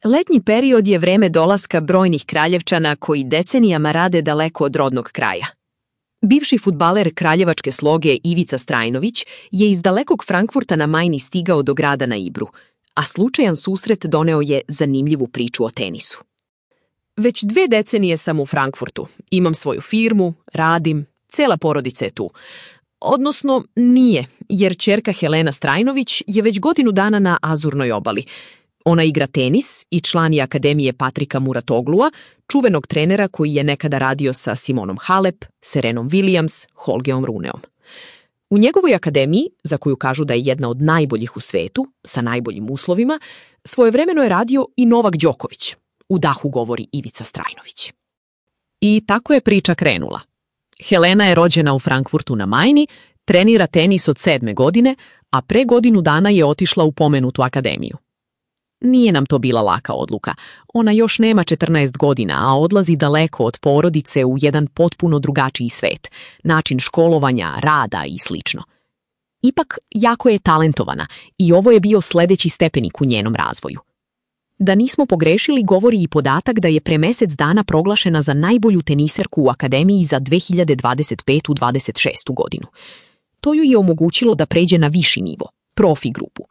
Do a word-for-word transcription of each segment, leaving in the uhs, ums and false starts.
Letnji period je vreme dolaska brojnih kraljevčana koji decenijama rade daleko od rodnog kraja. Bivši fudbaler kraljevačke sloge Ivica Strajnović je iz dalekog Frankfurta na Majni stigao do grada na Ibru, a slučajan susret doneo je zanimljivu priču o tenisu. Već dve decenije sam u Frankfurtu. Imam svoju firmu, radim, cela porodica je tu. Odnosno, nije, jer ćerka Helena Strajnović je već godinu dana na Azurnoj obali. Ona igra tenis i član je Akademije Patrika Muratoglua, čuvenog trenera koji je nekada radio sa Simonom Halep, Serenom Williams, Holgeom Runeom. U njegovoj akademiji, za koju kažu da je jedna od najboljih u svetu, sa najboljim uslovima, svojevremeno je radio i Novak Đoković, u dahu govori Ivica Strajnović. I tako je priča krenula. Helena je rođena u Frankfurtu na Majni, trenira tenis od sedme godine, a pre godinu dana je otišla u pomenutu akademiju. Nije nam to bila laka odluka. Ona još nema četrnaest godina, a odlazi daleko od porodice u jedan potpuno drugačiji svet, način školovanja, rada i slično. Ipak, jako je talentovana i ovo je bio sledeći stepenik u njenom razvoju. Da nismo pogrešili govori i podatak da je pre mesec dana proglašena za najbolju teniserku u akademiji za dve hiljade dvadeset petu dvadeset šestu godinu. To ju je omogućilo da pređe na viši nivo, profi grupu.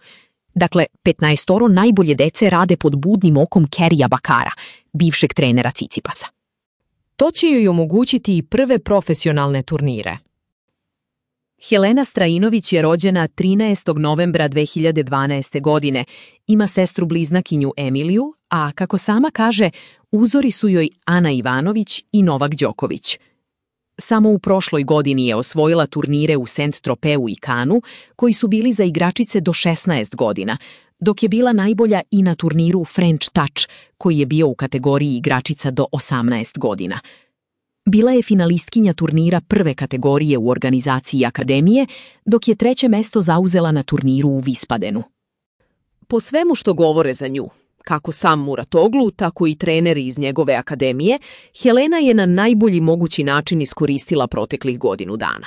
Dakle, petnaestoro najbolje dece rade pod budnim okom Kerija Bakara, bivšeg trenera Cicipasa. To će joj omogućiti i prve profesionalne turnire. Helena Strajinović je rođena trinaestog novembra dve hiljade dvanaeste. godine, ima sestru bliznakinju Emiliju, a kako sama kaže, uzori su joj Ana Ivanović i Novak Đoković. Samo u prošloj godini je osvojila turnire u Saint-Tropeu i Cannesu, koji su bili za igračice do šesnaest godina, dok je bila najbolja i na turniru French Touch, koji je bio u kategoriji igračica do osamnaest godina. Bila je finalistkinja turnira prve kategorije u organizaciji akademije, dok je treće mesto zauzela na turniru u Vispadenu. Po svemu što govore za nju, kako sam Muratoglu, tako i treneri iz njegove akademije, Helena je na najbolji mogući način iskoristila proteklih godinu dana.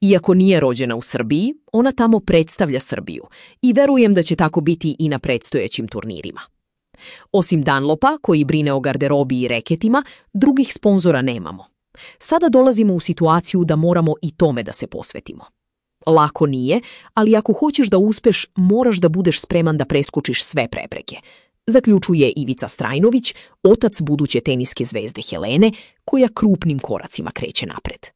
Iako nije rođena u Srbiji, ona tamo predstavlja Srbiju i verujem da će tako biti i na predstojećim turnirima. Osim Dunlopa, koji brine o garderobi i reketima, drugih sponzora nemamo. Sada dolazimo u situaciju da moramo i tome da se posvetimo. Lako nije, ali ako hoćeš da uspeš, moraš da budeš spreman da preskučiš sve prepreke, zaključuje Ivica Strajnović, otac buduće teniske zvezde Helene, koja krupnim koracima kreće napred.